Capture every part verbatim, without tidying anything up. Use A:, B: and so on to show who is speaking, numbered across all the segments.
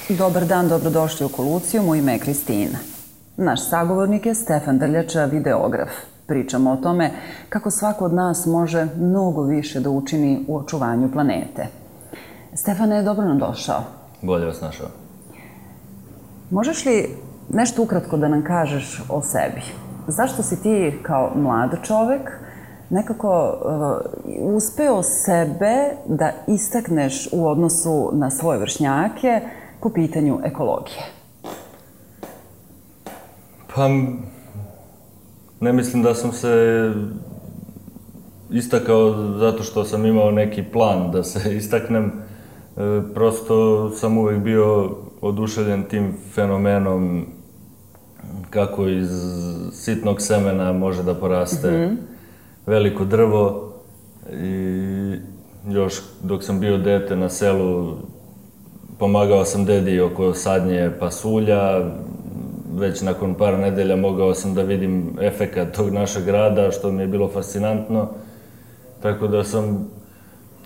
A: Dobar dan, dobrodošli u Koluciju, moje ime je Kristina. Naš sagovornik je Stefan Drljača, videograf. Pričamo o tome kako svako od nas može mnogo više da učini u očuvanju planete. Stefane, dobro nam došao.
B: Bolje vas našao.
A: Možeš li nešto ukratko da nam kažeš o sebi? Zašto si ti kao mlad čovek nekako uh, uspeo sebe da istakneš u odnosu na svoje vršnjake po pitanju ekologije?
B: Pa, ne mislim da sam se istakao zato što sam imao neki plan da se istaknem. E, prosto sam uvek bio oduševljen tim fenomenom kako iz sitnog semena može da poraste mm-hmm. veliko drvo. I još dok sam bio dete na selu, pomagao sam dedi oko sadnje pasulja. Već nakon par nedelja mogao sam da vidim efekat tog našeg grada, što mi je bilo fascinantno. Tako da sam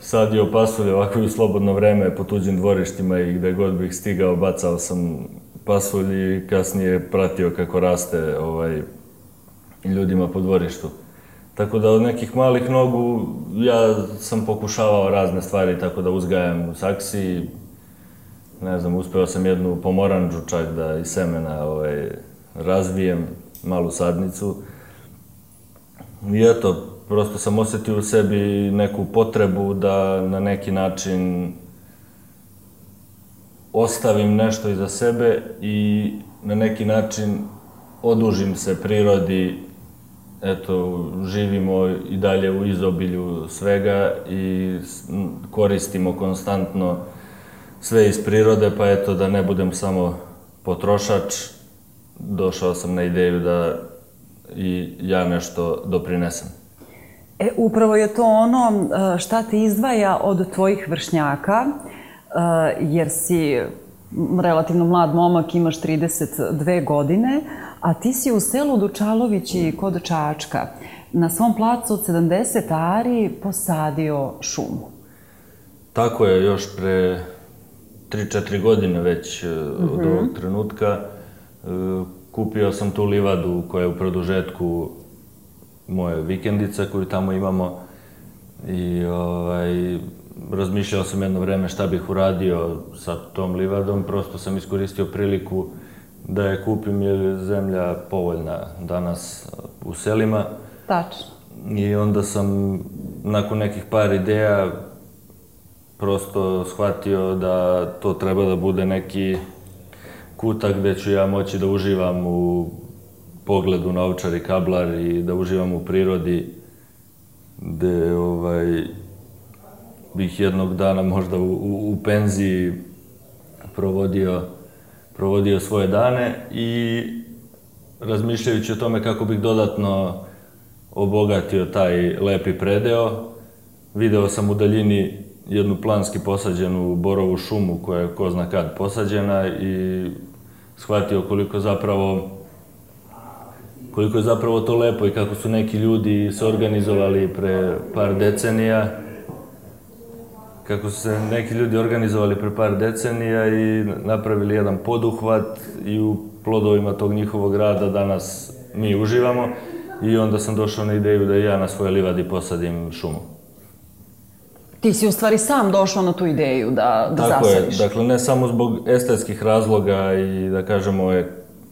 B: sadio pasulje ovako i u slobodno vreme po tuđim dvorištima i gde god bih stigao bacao sam pasulj i kasnije pratio kako raste ovaj, ljudima po dvorištu. Tako da od nekih malih nogu ja sam pokušavao razne stvari tako da uzgajam u saksiji. Ne znam, uspeo sam jednu pomoranđu čak da iz semena ovaj, razvijem, malu sadnicu. I eto, prosto sam osetio u sebi neku potrebu da na neki način ostavim nešto iza sebe i na neki način odužim se prirodi. Eto, živimo i dalje u izobilju svega i koristimo konstantno sve iz prirode, pa eto da ne budem samo potrošač, došao sam na ideju da i ja nešto doprinesem.
A: E, upravo je to ono šta te izdvaja od tvojih vršnjaka, jer si relativno mlad momak, imaš trideset dve godine, a ti si u selu Dučalovići kod Čačka na svom placu od sedamdeset ari posadio šumu.
B: Tako je, još pre tri četiri godine već od ovog trenutka. Kupio sam tu livadu koja je u produžetku moje vikendice koju tamo imamo i ovaj, razmišljao sam jedno vreme šta bih uradio sa tom livadom. Prosto sam iskoristio priliku da je kupim jer je zemlja povoljna danas u selima.
A: Tačno.
B: I onda sam nakon nekih par ideja prosto shvatio da to treba da bude neki kutak gde ću ja moći da uživam u pogledu na Ovčar i Kablar i da uživam u prirodi, gde ovaj, bih jednog dana možda u, u, u penziji provodio, provodio svoje dane i razmišljajući o tome kako bih dodatno obogatio taj lepi predeo, video sam u daljini jednu planski posađenu borovu šumu koja je ko zna kad posađena i shvatio koliko zapravo koliko je zapravo to lepo i kako su neki ljudi se organizovali pre par decenija kako su se neki ljudi organizovali pre par decenija i napravili jedan poduhvat i u plodovima tog njihovog rada danas mi uživamo i onda sam došao na ideju da i ja na svojoj livadi posadim šumu.
A: Ti si u stvari sam došao na tu ideju da, da
B: Tako
A: zasadiš.
B: Je, dakle ne samo zbog estetskih razloga i da kažemo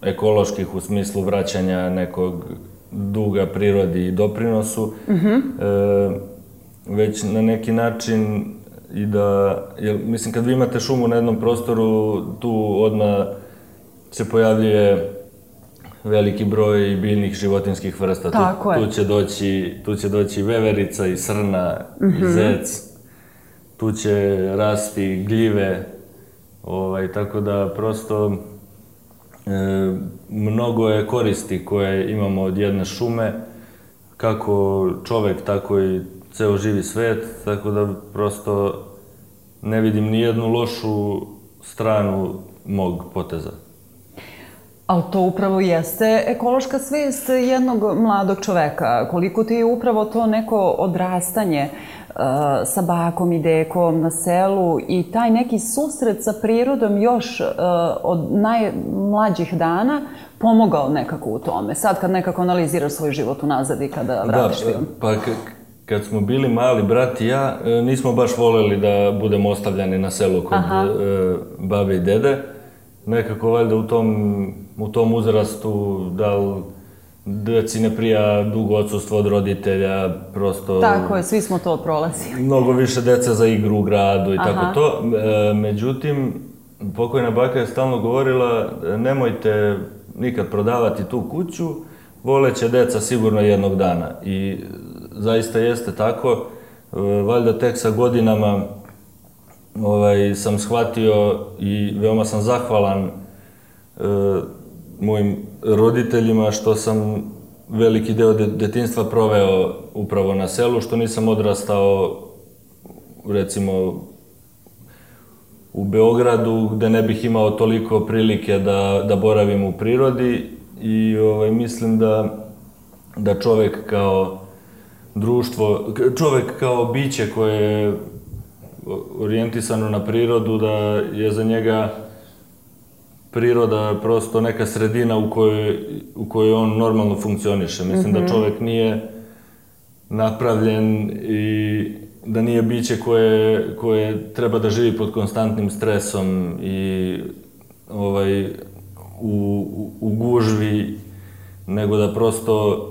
B: ekoloških u smislu vraćanja nekog duga prirodi i doprinosu, mm-hmm. e, već na neki način i da, jer, mislim kad vi imate šumu na jednom prostoru, tu odmah se pojavljuje veliki broj biljnih životinskih vrsta.
A: Tako
B: tu,
A: je.
B: Tu će doći, tu će doći veverica i srna mm-hmm. i zec. Tu će rasti gljive, ovaj, tako da prosto e, mnogo je koristi koje imamo od jedne šume, kako čovek, tako i ceo živi svet, tako da prosto ne vidim ni jednu lošu stranu mog poteza.
A: Ali to upravo jeste ekološka svest jednog mladog čoveka. Koliko ti je upravo to neko odrastanje sa bakom i dekom na selu i taj neki susret sa prirodom još od najmlađih dana pomogao nekako u tome. Sad kad nekako analiziraš svoj život unazad i kada vratiš film.
B: Pa kad smo bili mali, brat i ja, nismo baš voleli da budemo ostavljani na selu kod babe i dede. Nekako valjda u tom, u tom uzrastu, da li deci ne prija dugo odsustvo od roditelja, prosto...
A: Tako je, svi smo to prolazili.
B: Mnogo više deca za igru u gradu i tako to. Međutim, pokojna baka je stalno govorila, nemojte nikad prodavati tu kuću, voleće deca sigurno jednog dana. I zaista jeste tako. Valjda tek sa godinama sam shvatio i veoma sam zahvalan mojim roditeljima što sam veliki deo detinjstva proveo upravo na selu, što nisam odrastao, recimo, u Beogradu, gde ne bih imao toliko prilike da boravim u prirodi i mislim da čovek kao društvo, čovek kao biće koje je orijentisano na prirodu, da je za njega priroda prosto neka sredina u kojoj on normalno funkcioniše. Mislim da čovek nije napravljen i da nije biće koje treba da živi pod konstantnim stresom i u gužvi, nego da prosto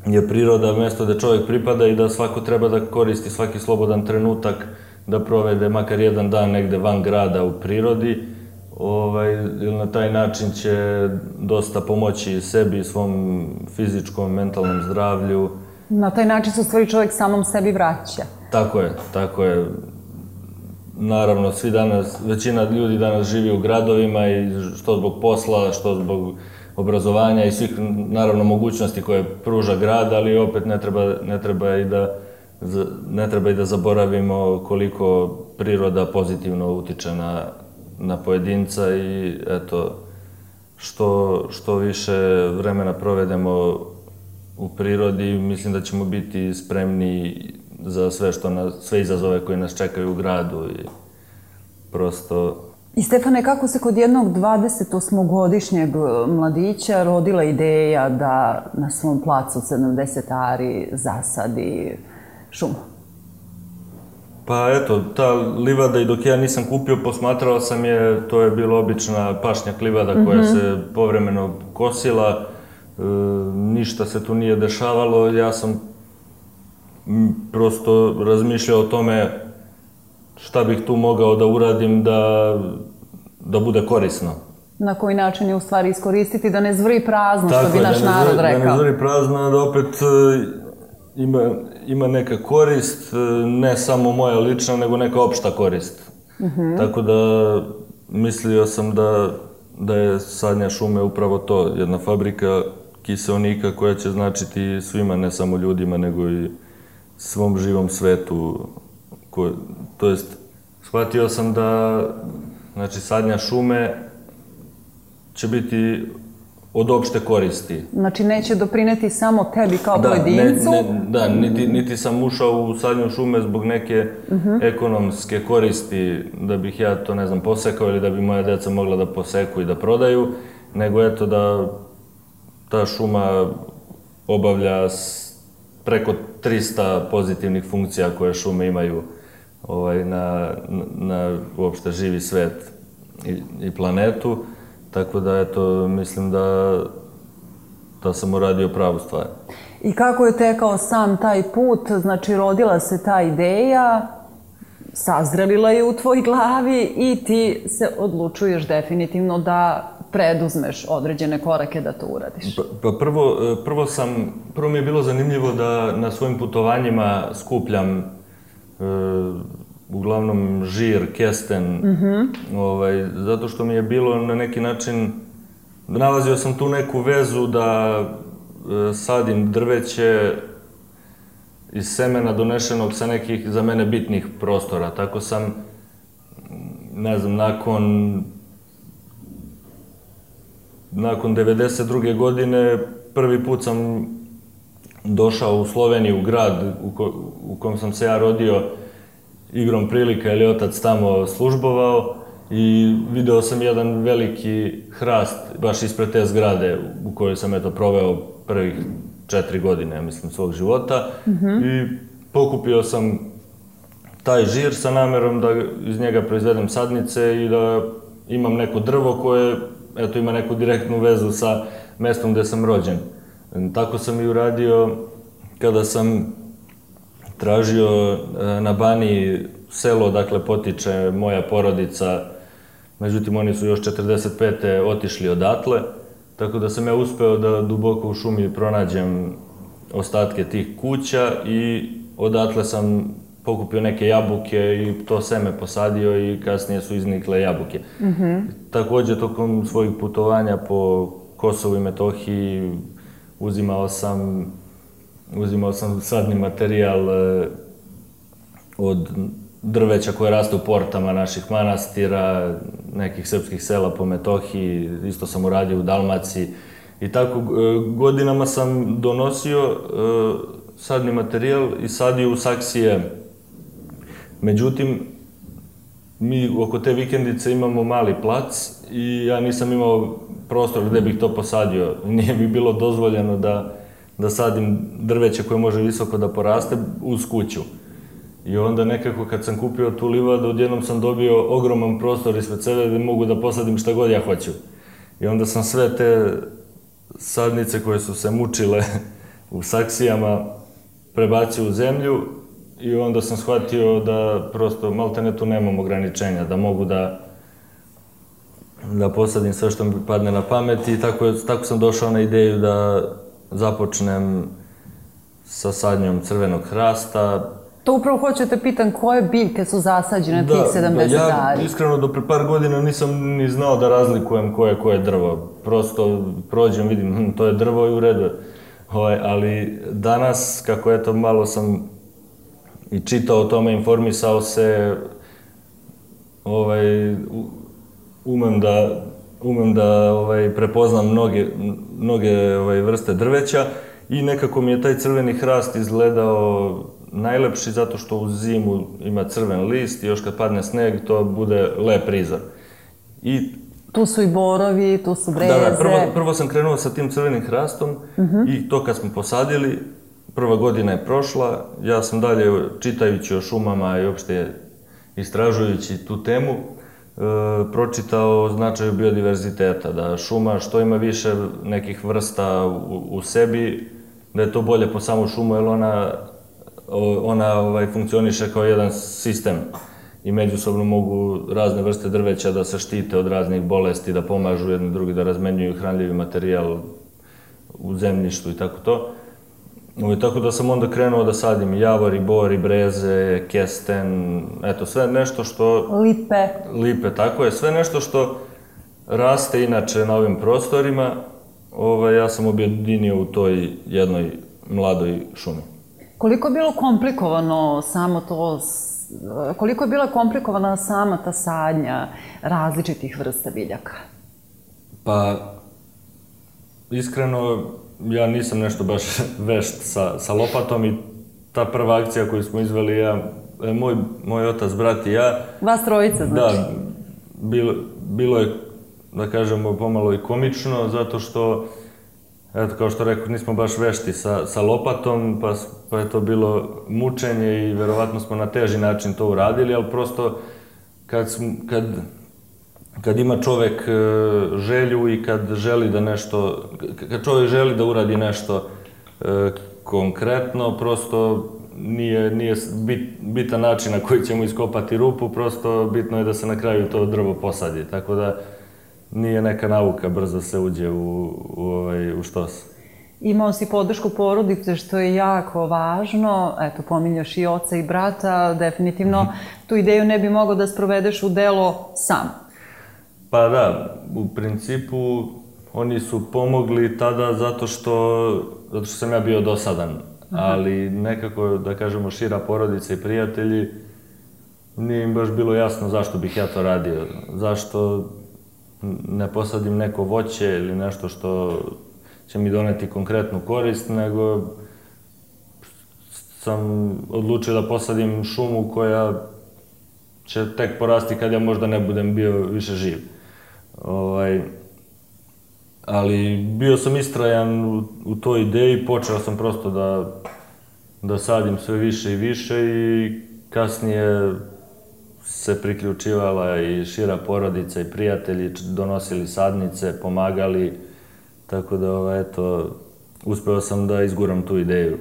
B: je priroda mesto da čovek pripada i da svako treba da koristi svaki slobodan trenutak da provede makar jedan dan negde van grada u prirodi. Na taj način će dosta pomoći sebi i svom fizičkom, mentalnom zdravlju.
A: Na taj način se u stvari čovjek samom sebi vraća.
B: Tako je, tako je. Naravno, svi danas, većina ljudi danas živi u gradovima i što zbog posla, što zbog obrazovanja i svih, naravno, mogućnosti koje pruža grad, ali opet ne treba i da ne treba i da zaboravimo koliko priroda pozitivno utiče na na pojedinca i eto, što više vremena provedemo u prirodi, mislim da ćemo biti spremni za sve izazove koje nas čekaju u gradu i prosto...
A: I Stefane, kako se kod jednog dvadesetosmogodišnjeg mladića rodila ideja da na svom placu sedamdeset ari zasadi šumu?
B: Pa eto, ta livada i dok ja nisam kupio, posmatrao sam je, to je bila obična pašnjak livada koja se povremeno kosila, ništa se tu nije dešavalo, ja sam prosto razmišljao o tome šta bih tu mogao da uradim da bude korisno.
A: Na koji način je u stvari iskoristiti da ne zvri prazno, što bi naš narod rekao.
B: Da ne zvri prazno, da opet ima neka korist, ne samo moja lična, nego neka opšta korist. Tako da mislio sam da je Sadnja šume upravo to, jedna fabrika kiseonika koja će značiti svima, ne samo ljudima, nego i svom živom svetu. To jest, shvatio sam da Sadnja šume će biti od opšte koristi.
A: Znači, neće doprineti samo tebi kao pojedincu?
B: Da, niti sam ušao u Sadnju šume zbog neke ekonomske koristi, da bih ja to, ne znam, posekao ili da bi moja deca mogla da poseku i da prodaju, nego eto da ta šuma obavlja preko trista pozitivnih funkcija koje šume imaju na uopšte živi svet i planetu. Tako da, eto, mislim da sam uradio pravu stvar.
A: I kako je tekao sam taj put? Znači, rodila se ta ideja, sazrelila je u tvoj glavi i ti se odlučuješ definitivno da preduzmeš određene korake da to uradiš.
B: Pa prvo sam, prvo mi je bilo zanimljivo da na svojim putovanjima skupljam uglavnom žir, kesten, zato što mi je bilo na neki način, nalazio sam tu neku vezu da sadim drveće iz semena donešenog sa nekih za mene bitnih prostora. Tako sam, ne znam, nakon nakon devedeset druge godine prvi put sam došao u Sloveniju, u grad u, ko, u kom sam se ja rodio, igrom prilika, jer je otac tamo službovao i video sam jedan veliki hrast baš ispred te zgrade u kojoj sam eto proveo prvih četiri godine, mislim, svog života. Mm-hmm. I pokupio sam taj žir sa namerom da iz njega proizvedem sadnice i da imam neko drvo koje, eto, ima neku direktnu vezu sa mestom gde sam rođen. Tako sam i uradio kada sam tražio na Baniji selo, dakle, potiče moja porodica, međutim, oni su još četrdeset pete otišli odatle, tako da sam ja uspeo da duboko u šumi pronađem ostatke tih kuća i odatle sam pokupio neke jabuke i to seme posadio i kasnije su iznikle jabuke. Mm-hmm. Takođe, tokom svojih putovanja po Kosovu i Metohiji uzimao sam, uzimao sam sadni materijal od drveća koje raste u portama naših manastira, nekih srpskih sela po Metohiji, isto sam uradio u Dalmaciji. I tako godinama sam donosio sadni materijal i sadio u saksije. Međutim, mi oko te vikendice imamo mali plac i ja nisam imao prostor gde bih to posadio. Nije mi bilo dozvoljeno da, da sadim drveće koje može visoko da poraste uz kuću. I onda nekako kad sam kupio tu livadu, odjednom sam dobio ogroman prostor ispred sebe gde mogu da posadim šta god ja hoću. I onda sam sve te sadnice koje su se mučile u saksijama prebacio u zemlju i onda sam shvatio da prosto maltene tu nemam ograničenja, da mogu da da posadim sve što mi padne na pamet i tako, tako sam došao na ideju da započnem sa sadnjom crvenog hrasta.
A: To upravo hoću te pitan, koje biljke su zasađene da, tih sedamdeset
B: da, ja
A: ari?
B: Iskreno do pre par godina nisam ni znao da razlikujem koje koje drvo. Prosto prođem, vidim, hm, to je drvo i u redu. Ovaj, ali danas, kako eto malo sam i čitao o tome, informisao se, ovaj, umem da, umem da ovaj, prepoznam mnoge, mnoge ovaj, vrste drveća i nekako mi je taj crveni hrast izgledao najlepši zato što u zimu ima crven list i još kad padne sneg to bude lep prizor. I
A: tu su i borovi, tu su breze.
B: Da, da, prvo, prvo sam krenuo sa tim crvenim hrastom uh-huh. i to kad smo posadili, prva godina je prošla, ja sam dalje čitajući o šumama i uopšte istražujući tu temu, e, pročitao o značaju biodiverziteta, da šuma što ima više nekih vrsta u, u sebi, da je to bolje po samu šumu, jer ona, ona ovaj, funkcioniše kao jedan sistem i međusobno mogu razne vrste drveća da se štite od raznih bolesti, da pomažu jedni drugi, da razmenjuju hranljivi materijal u zemljištu i tako to. I tako da sam onda krenuo da sadim javor i bor i breze, kesten, eto sve nešto što...
A: Lipe.
B: Lipe, tako je. Sve nešto što raste inače na ovim prostorima, ovaj, ja sam objedinio u toj jednoj mladoj šumi.
A: Koliko je bilo komplikovano samo to, koliko je bila komplikovana sama ta sadnja različitih vrsta biljaka?
B: Pa, iskreno, ja nisam nešto baš vešt sa, sa lopatom i ta prva akcija koju smo izveli, ja, moj, moj otac, brat i ja...
A: Vas trojica, znači?
B: Da, bilo, bilo je, da kažemo, pomalo i komično, zato što, eto, kao što rekao, nismo baš vešti sa, sa lopatom, pa, pa je to bilo mučenje i verovatno smo na teži način to uradili, ali prosto kad, smo, kad, kad ima čovek želju i kad želi da nešto, kad čovek želi da uradi nešto e, konkretno, prosto nije, nije bit, bitan način na koji ćemo iskopati rupu, prosto bitno je da se na kraju to drvo posadi, tako da nije neka nauka, brzo se uđe u, u, ovaj, u štos.
A: Imao si podršku porodice, što je jako važno. Eto, pominjaš i oca i brata. Definitivno tu ideju ne bi mogao da sprovedeš u delo sam.
B: Pa da, u principu oni su pomogli tada zato što, zato što sam ja bio dosadan. Aha. Ali nekako, da kažemo, šira porodica i prijatelji, nije im baš bilo jasno zašto bih ja to radio. Zašto... ne posadim neko voće ili nešto što će mi doneti konkretnu korist, nego sam odlučio da posadim šumu koja će tek porasti kad ja možda ne budem bio više živ. Ovaj, ali bio sam istrajan u, u toj ideji, počeo sam prosto da, da sadim sve više i više i kasnije se priključivala i šira porodica i prijatelji, donosili sadnice, pomagali, tako da, ovaj, eto, uspeo sam da izguram tu ideju.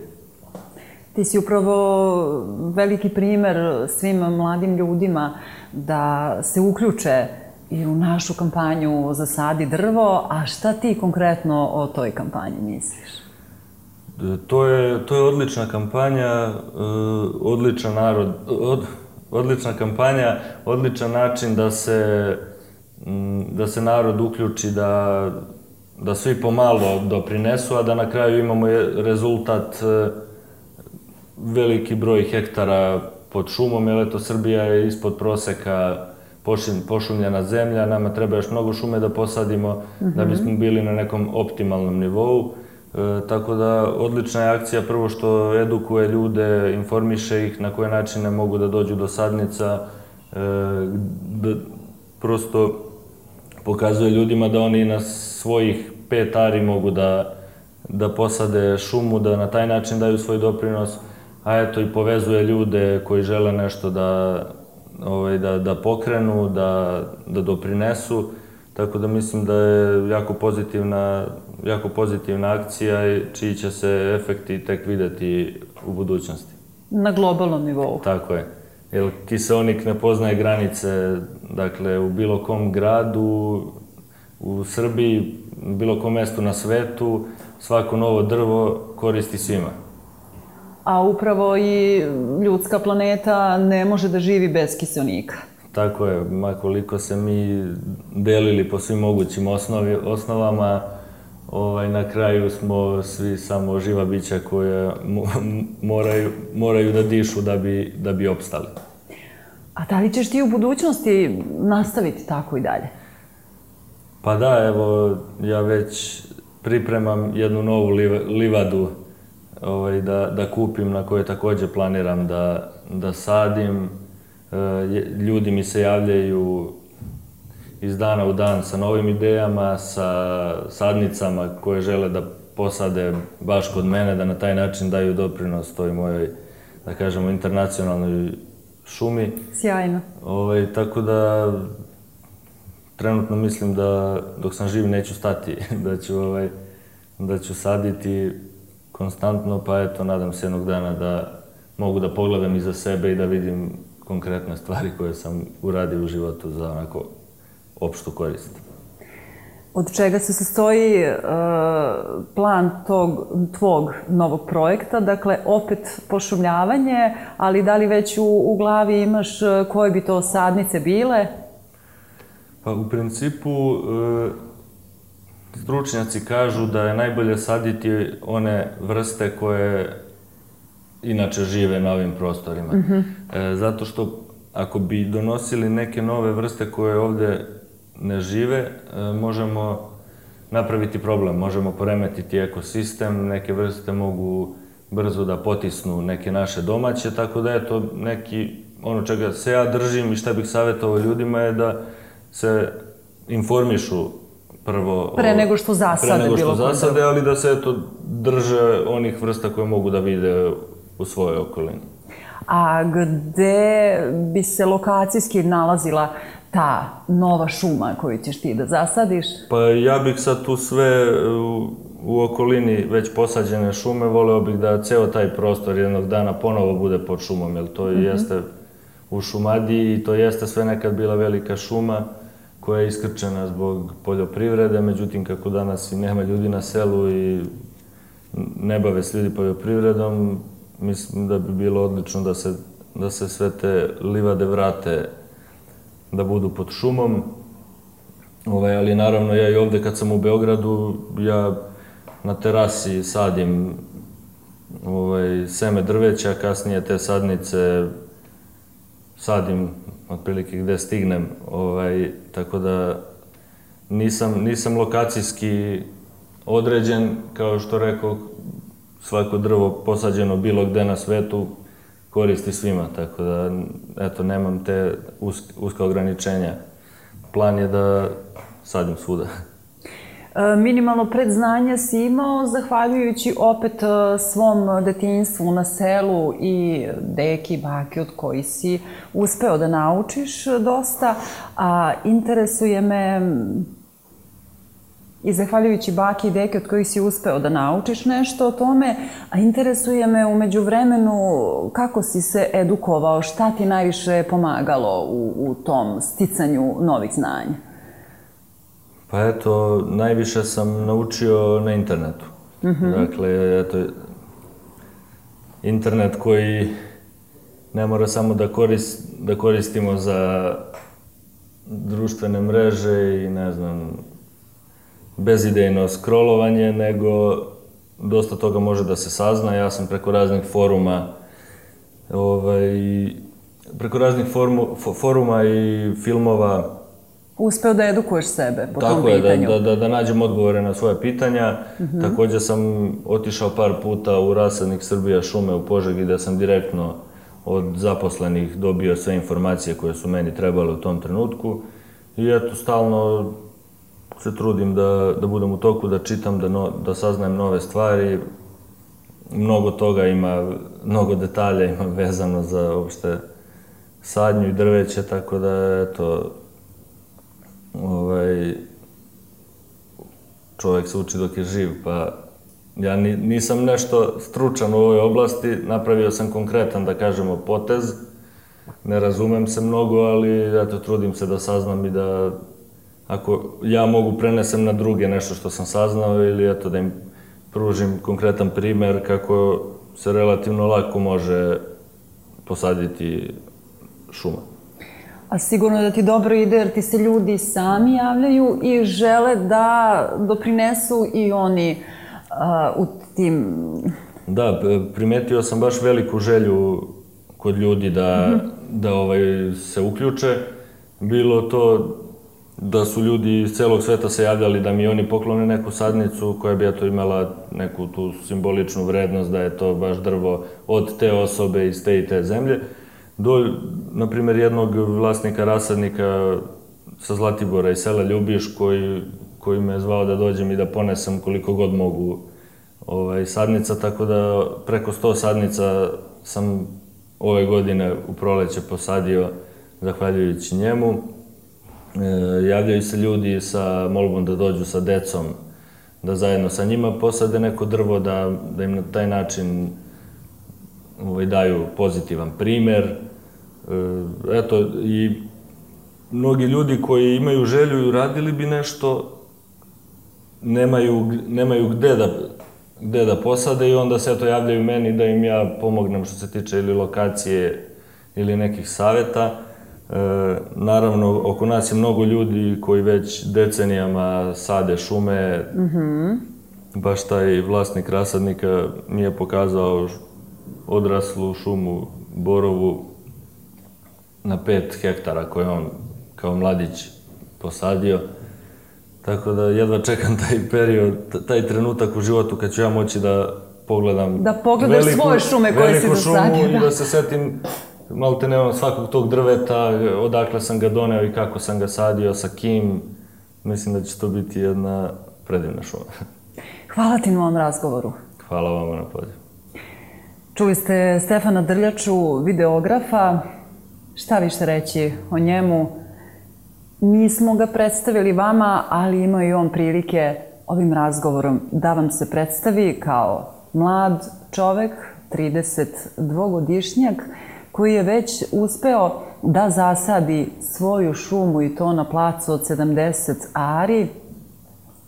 A: Ti si upravo veliki primer svim mladim ljudima da se uključe i u našu kampanju Zasadi drvo, a šta ti konkretno o toj kampanji misliš?
B: To je, to je odlična kampanja, odličan narod, od, odlična kampanja, odličan način da se, da se narod uključi, da, da svi pomalo doprinesu, a da na kraju imamo rezultat veliki broj hektara pod šumom, jer eto Srbija je ispod proseka pošumljena zemlja, nama treba još mnogo šume da posadimo da bismo bili na nekom optimalnom nivou. Tako da odlična je akcija prvo što edukuje ljude, informiše ih na koje načine mogu da dođu do sadnica, da prosto pokazuje ljudima da oni na svojih pet ari mogu da, da posade šumu, da na taj način daju svoj doprinos, a eto i povezuje ljude koji žele nešto da, ovaj, da, da pokrenu, da, da doprinesu. Tako da mislim da je jako pozitivna, jako pozitivna akcija čiji će se efekti tek videti u budućnosti.
A: Na globalnom nivou.
B: Tako je. Jer kiseonik ne poznaje granice, dakle, u bilo kom gradu, u Srbiji, u bilo kom mestu na svetu, svako novo drvo koristi svima.
A: A upravo i ljudska planeta ne može da živi bez kiseonika.
B: Tako je, makoliko se mi delili po svim mogućim osnovi, osnovama, ovaj, na kraju smo svi samo živa bića koja moraju, moraju da dišu da bi, da bi opstali.
A: A da li ćeš ti u budućnosti nastaviti tako i dalje?
B: Pa da, evo, ja već pripremam jednu novu livadu ovaj, da, da kupim, na kojoj takođe planiram da, da sadim. Ljudi mi se javljaju iz dana u dan sa novim idejama, sa sadnicama koje žele da posade baš kod mene, da na taj način daju doprinos toj mojoj, da kažemo, internacionalnoj šumi.
A: Sjajno.
B: Ovaj, tako da trenutno mislim da dok sam živ neću stati, da ću, ovaj, da ću saditi konstantno, pa eto, nadam se jednog dana da mogu da pogledam iza sebe i da vidim konkretne stvari koje sam uradio u životu za onako opštu korist.
A: Od čega se sastoji uh, plan tog, tvog novog projekta? Dakle, opet pošumljavanje, ali da li već u, u glavi imaš koje bi to sadnice bile?
B: Pa u principu uh, stručnjaci kažu da je najbolje saditi one vrste koje inače žive na ovim prostorima. Mm-hmm. e, zato što ako bi donosili neke nove vrste koje ovde ne žive, e, možemo napraviti problem, možemo poremetiti ekosistem, neke vrste mogu brzo da potisnu neke naše domaće, tako da je to neki, ono čega se ja držim i šta bih savjetovao ljudima je da se informišu prvo...
A: Pre nego što zasade bilo.
B: Pre nego što zasade, ali da se eto drže onih vrsta koje mogu da vide u svojoj okolini.
A: A gde bi se lokacijski nalazila ta nova šuma koju ćeš ti da zasadiš?
B: Pa ja bih sad tu sve u, u okolini već posađene šume, voleo bih da ceo taj prostor jednog dana ponovo bude pod šumom, jer to mm-hmm. jeste u Šumadiji i to jeste sve nekad bila velika šuma koja je iskrčena zbog poljoprivrede, međutim kako danas i nema ljudi na selu i ne bave se ljudi poljoprivredom, mislim da bi bilo odlično da se, da se sve te livade vrate da budu pod šumom. Ovaj, ali naravno ja i ovde kad sam u Beogradu, ja na terasi sadim ovaj, seme drveća, kasnije te sadnice sadim otprilike gde stignem, ovaj, tako da nisam, nisam lokacijski određen, kao što rekao, svako drvo posađeno bilo gde na svetu koristi svima, tako da, eto, nemam te uske, uska ograničenja. Plan je da sadim svuda.
A: Minimalno predznanja si imao, zahvaljujući opet svom detinjstvu na selu i deki, baki od koji si uspeo da naučiš dosta, a interesuje me i zahvaljujući baki i deki od kojih si uspeo da naučiš nešto o tome, a interesuje me umeđu vremenu kako si se edukovao, šta ti najviše pomagalo u, u tom sticanju novih znanja?
B: Pa eto, najviše sam naučio na internetu. Mm-hmm. Dakle, eto, internet koji ne mora samo da, korist, da koristimo za društvene mreže i, ne znam, bezidejno scrollovanje, nego dosta toga može da se sazna. Ja sam preko raznih foruma, ovaj, preko raznih formu, foruma i filmova
A: uspeo da edukuješ sebe po tom
B: pitanju.
A: Tako
B: je, da, da, da nađem odgovore na svoje pitanja. Mm-hmm. Također sam otišao par puta u rasadnik Srbija šume u Požegi, gde sam direktno od zaposlenih dobio sve informacije koje su meni trebale u tom trenutku. I eto, stalno se trudim da, da budem u toku, da čitam, da, no, da saznajem nove stvari. Mnogo toga ima, mnogo detalja ima vezano za uopšte sadnju i drveće, tako da, eto, ovaj, čovjek se uči dok je živ, pa ja ni, nisam nešto stručan u ovoj oblasti, napravio sam konkretan, da kažemo, potez, ne razumem se mnogo, ali eto, trudim se da saznam i da, ako ja mogu, prenesem na druge nešto što sam saznao ili eto, da im pružim konkretan primer kako se relativno lako može posaditi šuma.
A: A sigurno da ti dobro ide jer ti se ljudi sami javljaju i žele da doprinesu i oni uh, u tim...
B: Da, primetio sam baš veliku želju kod ljudi da, mm-hmm. da ovaj, se uključe. Bilo to da su ljudi iz celog sveta se javljali da mi oni poklone neku sadnicu koja bi eto imala neku tu simboličnu vrednost, da je to baš drvo od te osobe iz te i te zemlje. Do, na primjer, jednog vlasnika rasadnika sa Zlatibora i sela Ljubiš, koji, koji me je zvao da dođem i da ponesem koliko god mogu ovaj, sadnica, tako da preko sto sadnica sam ove godine u proleće posadio zahvaljujući njemu. E, javljaju se ljudi sa molbom da dođu sa decom, da zajedno sa njima posade neko drvo, da, da im na taj način ovaj, daju pozitivan primer. Eto, i mnogi ljudi koji imaju želju i uradili bi nešto, nemaju, nemaju gde, da, gde da posade i onda se eto javljaju meni da im ja pomognem što se tiče ili lokacije ili nekih saveta. E, naravno, oko nas je mnogo ljudi koji već decenijama sade šume. Mm-hmm. Baš taj vlasnik rasadnika mi je pokazao odraslu šumu borovu na pet hektara koje on kao mladić posadio. Tako da jedva čekam taj period, taj trenutak u životu kad ću ja moći da pogledam
A: da pogledaš veliku, svoje šume koje si dosadio.
B: Veliku šumu i da se setim malte ne svakog tog drveta, odakle sam ga doneo i kako sam ga sadio, sa kim. Mislim da će to biti jedna predivna šuma.
A: Hvala ti na ovom razgovoru.
B: Hvala vama na pozivu.
A: Čuli ste Stefana Drljaču, videografa. Šta više reći o njemu? Mi smo ga predstavili vama, ali imao i on prilike ovim razgovorom da vam se predstavi kao mlad čovek, tridesetdvogodišnjak, koji je već uspeo da zasadi svoju šumu i to na placu od sedamdeset ari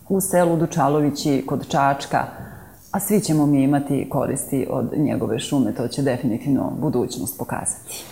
A: u selu Dučalovići kod Čačka. A svi ćemo mi imati koristi od njegove šume, to će definitivno budućnost pokazati.